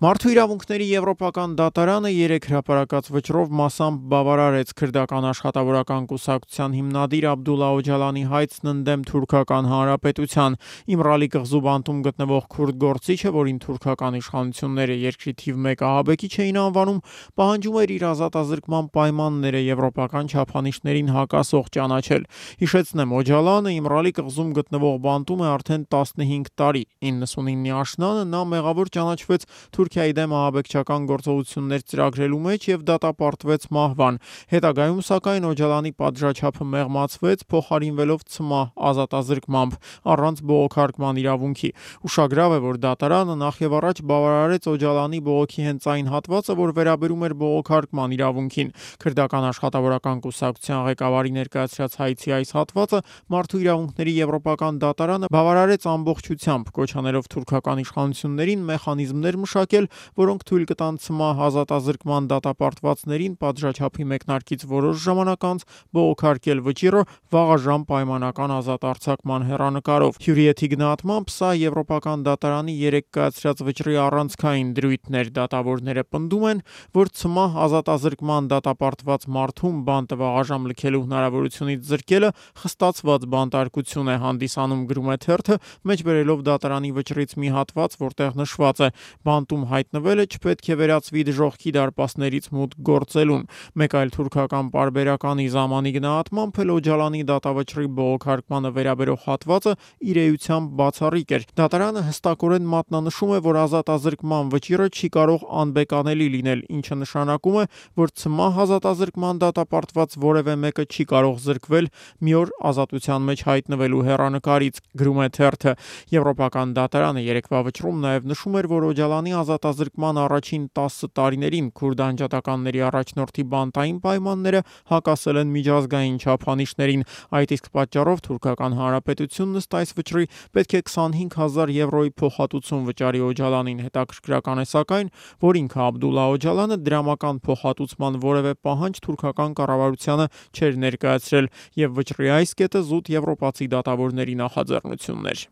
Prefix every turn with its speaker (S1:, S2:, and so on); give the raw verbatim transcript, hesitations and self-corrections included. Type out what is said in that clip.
S1: Մարդու իրավունքների եվրոպական դատարանը երեք հրապարակած վճռով մասամբ բավարարեց քրդական աշխատավորական կուսակցության հիմնադիր Աբդուլլա Օջալանի հայցն ընդդեմ Թուրքական Հանրապետության։ Իմրալի կղզու բանտում գտնվող քուրդ գործիչը, որին թուրքական իշխանությունները երկրի թիվ մեկ ահաբեկիչ էին անվանում, պահանջում էր իր ազատազրկման պայմանները եվրոպական չափանիշներին հակասող ճանաչել։ Հիշեցնեմ, Օջալանը Իմրալի կղզում գտնվող բանտում է արդեն տասնհինգ տարի։ իննսունինի աշնանը նա մեղավոր ճանաչվեց Թուրքիայի դեմ ահաբեկչական գործողություններ ծրագրելու մեջ եւ դատապարտվեց մահվան։ Հետագայում սակայն Օջալանի պատժաչափը մեղմացվեց, փոխարինվելով ցմահ ազատազրկմամբ առանց բողոքարկման իրավունքի։ Ուշագրավ է, որ դատարանը նախ եւ առաջ բավարարեց Օջալանի բողոքի հենց այն հատվածը, որ վերաբերում էր բողոքարկման իրավունքին։ Քրդական աշխատավորական կուսակցության ղեկավարի ներկայացրած հայցի այս հատվածը Մարդու իրավունքների եվրոպական դատարանը բավարարեց ամբողջությամբ, կոչ անելով թուրքական իշխանություններին մեխանիզմներ մշակել, որոնք թույլ կտան ցմահ ազատազրկման դատապարտվածներին պատժաչափի մեկնարկից որոշ ժամանակ անց բողոքարկել վճիռը վաղաժամ պայմանական ազատարձակման հեռանկարով։ Հյուրիեթի գնահատմամբ սա եվրոպական դատարանի երեք կայացրած վճռի առանցքային դրույթներ։ Դատավորները պնդում են, որ ցմահ ազատազրկման դատապարտված մարդում բանտը վաղաժամ լքելու հնարավորությունից զրկելը խստացված բանտարկություն է հանդիսանում, գրում է թերթը, մեջբերելով դատարանի վճռից մի հատված, որտեղ նշված է. բանտում հայտնվելը չպետք է վերածվի դժոխքի դարպասներից մուտք գործելուն։ Մեկ այլ թուրքական պարբերականի Զամանի գնահատմամբ էլ Օջալանի դատավճռի բողոքարկմանը վերաբերող հատվածը իր էությամբ բացառիկ էր։ Դատարանը հստակորեն մատնանշում է, որ ազատազրկման վճիռը չի կարող անբեկանելի լինել, ինչը նշանակում է, որ ցմահ ազատազրկման դատապարտված որևէ մեկը չի կարող զրկվել մի օր ազատության մեջ հայտնվելու հեռանկարից, գրում է թերթը։ Եվրոպական դատարանը երեկվա վճռում նաև նշում էր, որ Օջալանի ազատազրկման առաջին տասը տարիներին քուրդ անջատականների առաջնորդի բանտային պայմանները հակասել են միջազգային չափանիշներին։ Այդ իսկ պատճառով Թուրքական Հանրապետությունն ըստ այս վճռի պետք է քսանհինգ հազար եվրոյի փոխհատուցում վճարի Օջալանին։ Հետաքրքրական է սակայն, որ ինքը Աբդուլլա Օջալանը դրամական փոխհատուցման որևէ պահանջ թուրքական կառավարությանը չէր ներկայացրել, եւ վճռի այս կետը զուտ եվրոպացի դատավորների նախաձեռնությունն էր։